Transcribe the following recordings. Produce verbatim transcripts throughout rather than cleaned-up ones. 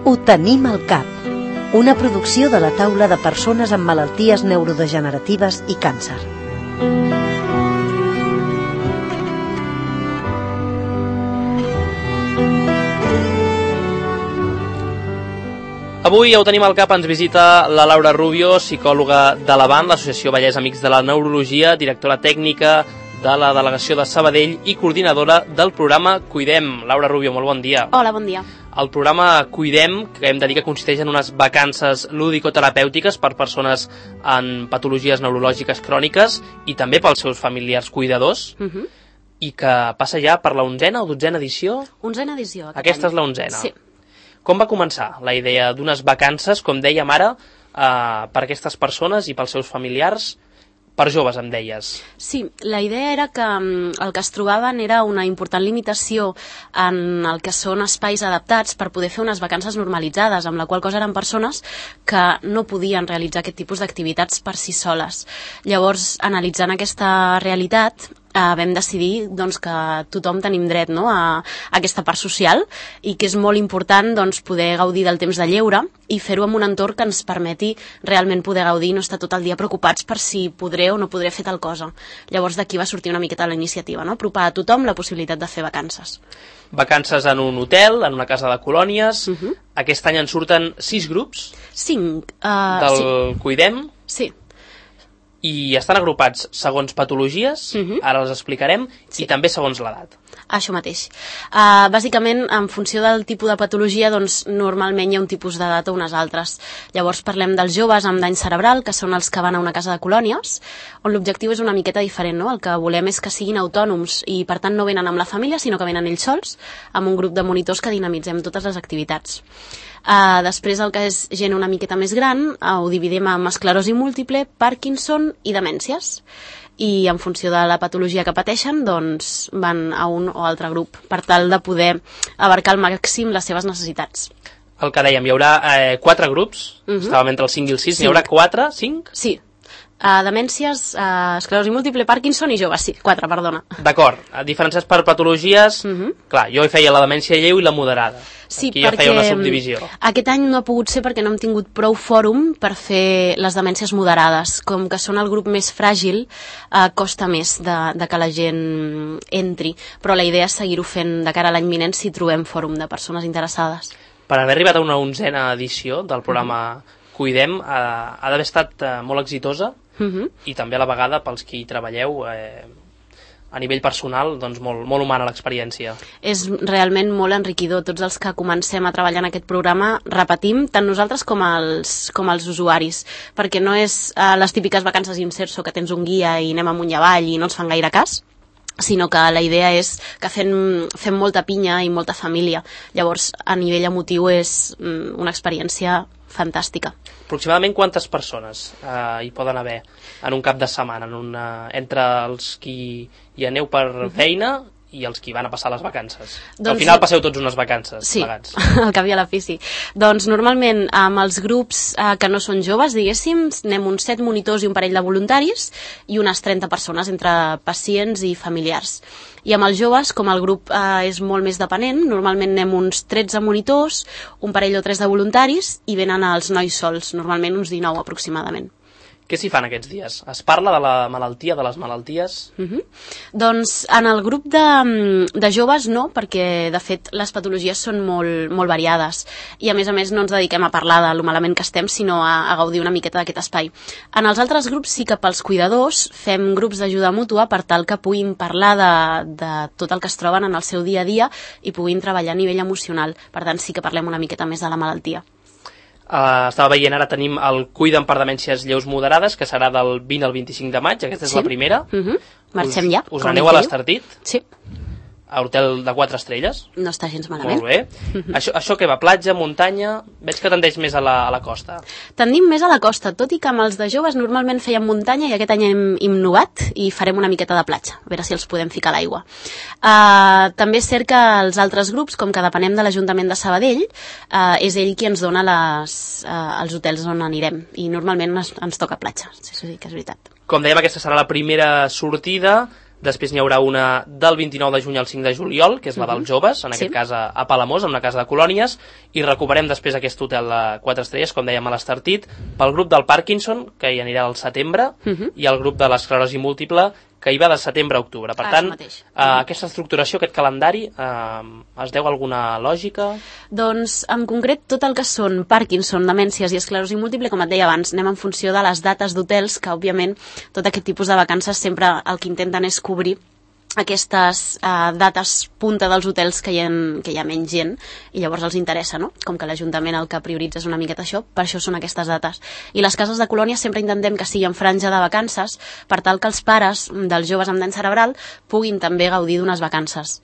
Ho tenim al cap. Una producció de la taula de persones amb malalties neurodegeneratives i càncer. Avui ja ho tenim al cap, ens visita la Laura Rubio, psicòloga de l'Avant, l'Associació Vallès Amics de la Neurologia, directora tècnica de la delegació de Sabadell i coordinadora del programa Cuidem. Laura Rubio, molt bon dia. Hola, bon dia. El programa Cuidem, que hem de dir que consisteix en unes vacances lúdico-terapèutiques per persones amb patologies neurològiques cròniques i també pels seus familiars cuidadors, uh -huh. i que passa ja per la onzena o dotzena edició? Onzena edició. Aquest Aquesta any. és la onzena. Sí. Com va començar la idea d'unes vacances, com dèiem ara, eh, per aquestes persones i pels seus familiars, per joves, em deies? Sí, la idea era que el que es trobaven era una important limitació en el que són espais adaptats per poder fer unes vacances normalitzades, amb la qual cosa eren persones que no podien realitzar aquest tipus d'activitats per si soles. Llavors, analitzant aquesta realitat, Uh, vam decidir doncs, que tothom tenim dret, no?, a, a aquesta part social i que és molt important doncs, poder gaudir del temps de lleure i fer-ho en un entorn que ens permeti realment poder gaudir i no estar tot el dia preocupats per si podré o no podré fer tal cosa. Llavors d'aquí va sortir una miqueta la iniciativa, no?, apropar a tothom la possibilitat de fer vacances. Vacances en un hotel, en una casa de colònies. Uh -huh. Aquest any en surten sis grups. Cinc. Uh, del sí. Cuidem. Sí. I estan agrupats segons patologies, uh-huh. ara les explicarem, sí. i també segons l'edat. Això mateix. Uh, bàsicament, en funció del tipus de patologia, doncs, normalment hi ha un tipus d'edat o unes altres. Llavors parlem dels joves amb dany cerebral, que són els que van a una casa de colònies, on l'objectiu és una miqueta diferent, no? El que volem és que siguin autònoms i, per tant, no venen amb la família, sinó que venen ells sols, amb un grup de monitors que dinamitzem totes les activitats. Uh, després el que és gent una miqueta més gran uh, ho dividim en esclerosi múltiple, Parkinson i demències, i en funció de la patologia que pateixen doncs van a un o altre grup per tal de poder abarcar al màxim les seves necessitats. El que dèiem, hi haurà eh, quatre grups, uh-huh. estàvem entre el cinc i el sis, sí. N'hi haurà quatre, cinc? Sí. Uh, demències, uh, esclerosi múltiple, Parkinson i joves, sí, quatre, perdona. D'acord, diferenciats per patologies, uh-huh. clar, jo hi feia la demència lleu i la moderada. Sí, aquí perquè ja feia una subdivisió. Aquest any no ha pogut ser perquè no hem tingut prou fòrum per fer les demències moderades. Com que són el grup més fràgil, eh, costa més de, de que la gent entri. Però la idea és seguir-ho fent de cara a l'any vinent si trobem fòrum de persones interessades. Per haver arribat a una onzena edició del programa uh-huh. Cuidem, eh, ha d'haver estat eh, molt exitosa uh-huh. i també a la vegada pels que hi treballeu eh, a nivell personal, doncs molt, molt humana l'experiència. És realment molt enriquidor. Tots els que comencem a treballar en aquest programa repetim, tant nosaltres com els, com els usuaris, perquè no és uh, les típiques vacances inserso que tens un guia i anem amunt i avall i no ens fan gaire cas, sinó que la idea és que fem, fem molta pinya i molta família. Llavors, a nivell emotiu és mm, una experiència fantàstica. Aproximadament quantes persones eh, hi poden haver en un cap de setmana, en una, entre els qui hi aneu per feina i els qui van a passar les vacances? Doncs, al final passeu tots unes vacances sí, plegats. Al cap i a la fi sí. Doncs normalment amb els grups eh, que no són joves, diguéssim, anem uns set monitors i un parell de voluntaris i unes trenta persones entre pacients i familiars. I amb els joves, com el grup eh, és molt més dependent, normalment anem uns tretze monitors, un parell o tres de voluntaris i venen els nois sols, normalment uns dinou aproximadament. Què s'hi fan aquests dies? Es parla de la malaltia, de les malalties? Uh-huh. Doncs en el grup de, de joves no, perquè de fet les patologies són molt, molt variades i a més a més no ens dediquem a parlar de lo malament que estem, sinó a, a gaudir una miqueta d'aquest espai. En els altres grups sí que pels cuidadors fem grups d'ajuda mútua per tal que puguin parlar de, de tot el que es troben en el seu dia a dia i puguin treballar a nivell emocional. Per tant sí que parlem una miqueta més de la malaltia. Uh, estava veient, ara tenim el Cuidem per demències lleus moderades, que serà del vint al vint-i-cinc de maig, aquesta és sí. la primera. Uh-huh. Marxem ja. Us aneu a l'Estartit? Sí. A hotel de quatre estrelles? No està gens malament. Molt bé. Uh-huh. Això, això què va? Platja, muntanya? Veig que tendeix més a la, a la costa. Tendim més a la costa, tot i que amb els de joves normalment fèiem muntanya i aquest any hem innovat i farem una miqueta de platja, a veure si els podem ficar a l'aigua. Uh, també és cert que els altres grups, com que depenem de l'Ajuntament de Sabadell, uh, és ell qui ens dona les, uh, els hotels on anirem i normalment ens, ens toca platja, sí, sí que és veritat. Com dèiem, aquesta serà la primera sortida. Després n'hi haurà una del vint-i-nou de juny al cinc de juliol, que és la dels joves, en aquest Sí. cas a, a Palamós, en una casa de colònies, i recuperem després aquest hotel de quatre estrelles, com dèiem a l'Estartit, pel grup del Parkinson, que hi anirà al setembre, Mhm. i el grup de l'esclerosi múltiple, que hi va de setembre a octubre. Per Ah, tant, això mateix. eh, aquesta estructuració, aquest calendari, eh, es deu a alguna lògica? Doncs, en concret, tot el que són Parkinson, demències i esclerosi múltiple, com et deia abans, anem en funció de les dates d'hotels, que, òbviament, tot aquest tipus de vacances sempre el que intenten és cobrir aquestes eh, dates punta dels hotels que hi, ha, que hi ha menys gent, i llavors els interessa, no? Com que l'Ajuntament el que prioritza és una miqueta això, per això són aquestes dates. I les cases de colònia sempre intentem que sigui en franja de vacances, per tal que els pares dels joves amb dany cerebral puguin també gaudir d'unes vacances,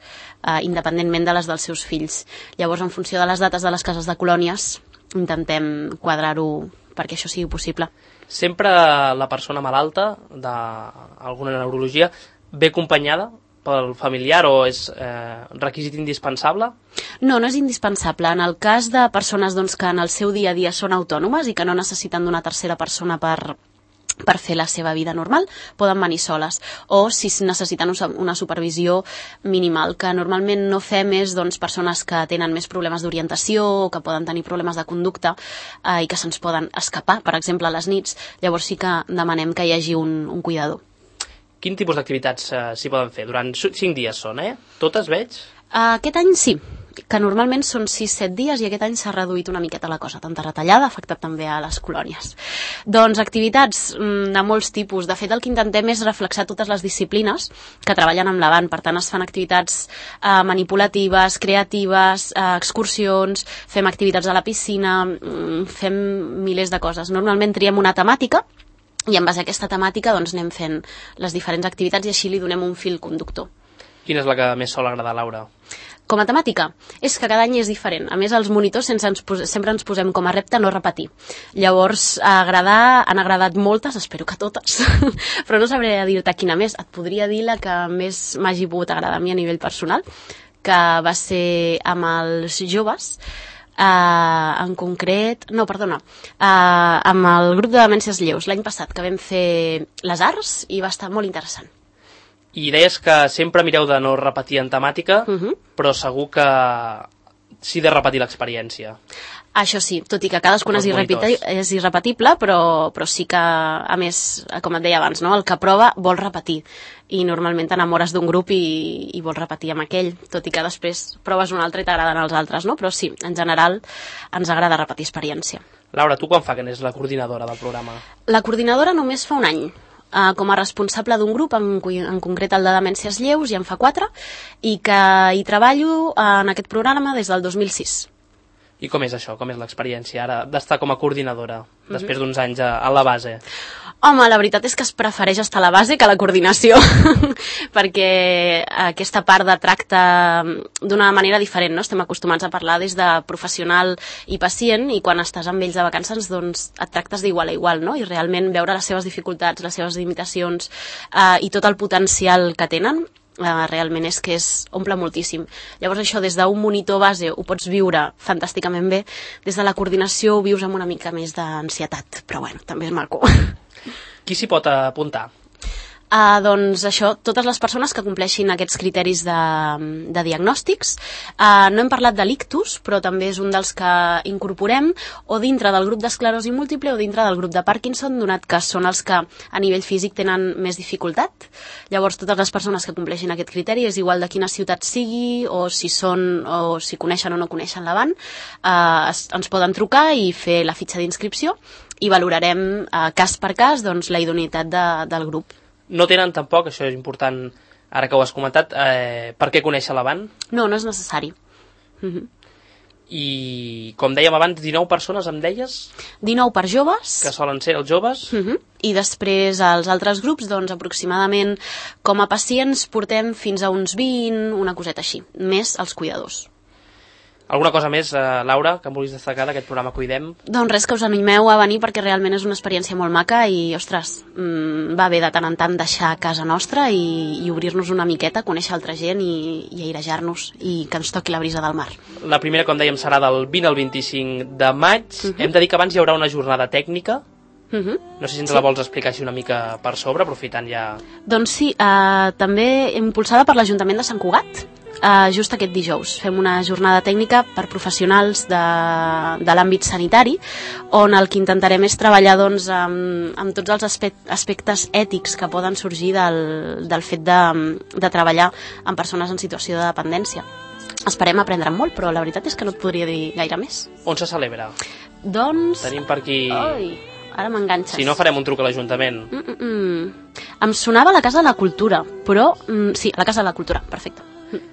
eh, independentment de les dels seus fills. Llavors, en funció de les dates de les cases de colònies, intentem quadrar-ho perquè això sigui possible. Sempre la persona malalta d'alguna neurologia ve acompanyada pel familiar o és eh, requisit indispensable? No, no és indispensable. En el cas de persones doncs, que en el seu dia a dia són autònomes i que no necessiten d'una tercera persona per, per fer la seva vida normal, poden venir soles. O si necessiten una supervisió minimal, que normalment no fem és doncs, persones que tenen més problemes d'orientació o que poden tenir problemes de conducta eh, i que se'ns poden escapar, per exemple, a les nits. Llavors sí que demanem que hi hagi un, un cuidador. Quin tipus d'activitats eh, s'hi poden fer? Durant cinc dies són, eh? Totes veig? Uh, aquest any sí, que normalment són sis set dies i aquest any s'ha reduït una miqueta la cosa. Tanta retallada ha afectat també a les colònies. Doncs activitats mm, de molts tipus. De fet, el que intentem és reflexar totes les disciplines que treballen amb l'Avant. Per tant, es fan activitats uh, manipulatives, creatives, uh, excursions, fem activitats a la piscina, mm, fem milers de coses. Normalment triem una temàtica i en base a aquesta temàtica doncs, anem fent les diferents activitats i així li donem un fil conductor. Quina és la que més sol agradar, Laura? Com a temàtica, és que cada any és diferent. A més, els monitors sense ens pos sempre ens posem com a repte no repetir. Llavors, a agradar, han agradat moltes, espero que totes, però no sabré dir-te quina més. Et podria dir la que més m'hagi pogut agradar a mi a nivell personal, que va ser amb els joves, Uh, en concret, no, perdona, uh, amb el grup de demències lleus l'any passat, que vam fer les arts i va estar molt interessant. I deies que sempre mireu de no repetir en temàtica, Uh -huh. però segur que sí de repetir l'experiència. Això sí, tot i que cadascuna és, irrepeti és irrepetible, però, però sí que, a més, com et deia abans, no? El que prova vol repetir. I normalment t'enamores d'un grup i, i vols repetir amb aquell, tot i que després proves un altre i t'agraden els altres, no? Però sí, en general, ens agrada repetir experiència. Laura, tu quan fa que n'és la coordinadora del programa? La coordinadora només fa un any. Uh, com a responsable d'un grup, en, en concret el de demències lleus, ja en fa quatre, i que hi treballo uh, en aquest programa des del dos mil sis. I com és això? Com és l'experiència ara d'estar com a coordinadora, mm-hmm. després d'uns anys a, a la base? Home, la veritat és que es prefereix estar a la base que a la coordinació, perquè aquesta part de tracte d'una manera diferent, no? Estem acostumats a parlar des de professional i pacient, i quan estàs amb ells de vacances doncs et tractes d'igual a igual, no? I realment veure les seves dificultats, les seves limitacions eh, i tot el potencial que tenen, Uh, realment és que es omple moltíssim. Llavors això, des d'un monitor base ho pots viure fantàsticament bé, des de la coordinació ho vius amb una mica més d'ansietat, però bueno, també és maco. Qui s'hi pot apuntar? Uh, doncs això, totes les persones que compleixin aquests criteris de, de diagnòstics. Uh, no hem parlat de l'ictus, però també és un dels que incorporem, o dintre del grup d'esclerosi múltiple o dintre del grup de Parkinson, donat que són els que a nivell físic tenen més dificultat. Llavors, totes les persones que compleixin aquest criteri, és igual de quina ciutat sigui, o si són, o si coneixen o no coneixen l'Avant, uh, ens poden trucar i fer la fitxa d'inscripció i valorarem uh, cas per cas doncs, la idoneïtat de, del grup. No tenen tampoc, això és important, ara que ho has comentat, eh, per què conèixer l'Avant? No, no és necessari. Uh-huh. I, com dèiem abans, dinou persones, em deies? dinou per joves. Que solen ser els joves. Uh-huh. I després els altres grups, doncs aproximadament com a pacients portem fins a uns vint, una coseta així, més els cuidadors. Alguna cosa més, eh, Laura, que em vulguis destacar d'aquest programa Cuidem? Doncs res, que us animeu a venir perquè realment és una experiència molt maca i, ostres, mmm, va bé de tant en tant deixar casa nostra i, i obrir-nos una miqueta, conèixer altra gent i, i airejar-nos i que ens toqui la brisa del mar. La primera, com dèiem, serà del vint al vint-i-cinc de maig. Uh-huh. Hem de dir que abans hi haurà una jornada tècnica Uh-huh. No sé si ens sí. la vols explicar així una mica per sobre, aprofitant ja... Doncs sí, uh, també impulsada per l'Ajuntament de Sant Cugat, uh, just aquest dijous. Fem una jornada tècnica per professionals de, de l'àmbit sanitari, on el que intentarem és treballar doncs, amb, amb tots els aspectes ètics que poden sorgir del, del fet de, de treballar amb persones en situació de dependència. Esperem aprendre molt, però la veritat és que no et podria dir gaire més. On se celebra? Doncs... Tenim per aquí... Oi, ara m'enganxes. Si no, farem un truc a l'Ajuntament. Mm -mm -mm. Em sonava a la Casa de la Cultura, però... Mm, sí, a la Casa de la Cultura, perfecte.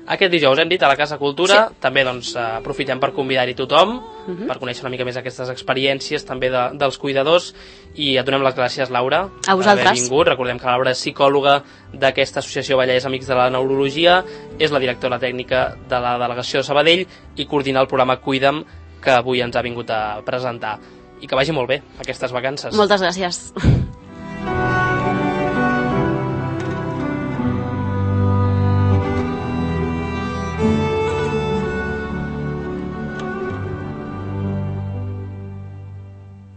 Aquest dijous hem dit a la Casa Cultura, sí. també doncs, aprofitem per convidar-hi tothom, uh-huh. per conèixer una mica més aquestes experiències també de, dels cuidadors, i et donem les gràcies, Laura, a vosaltres. Per haver vingut. Recordem que Laura és psicòloga d'aquesta associació Vallès Amics de la Neurologia, és la directora tècnica de la delegació de Sabadell i coordina el programa Cuida'm, que avui ens ha vingut a presentar. I que vagi molt bé aquestes vacances. Moltes gràcies.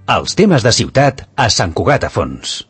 Els temes de ciutat a Sant Cugat a Fons.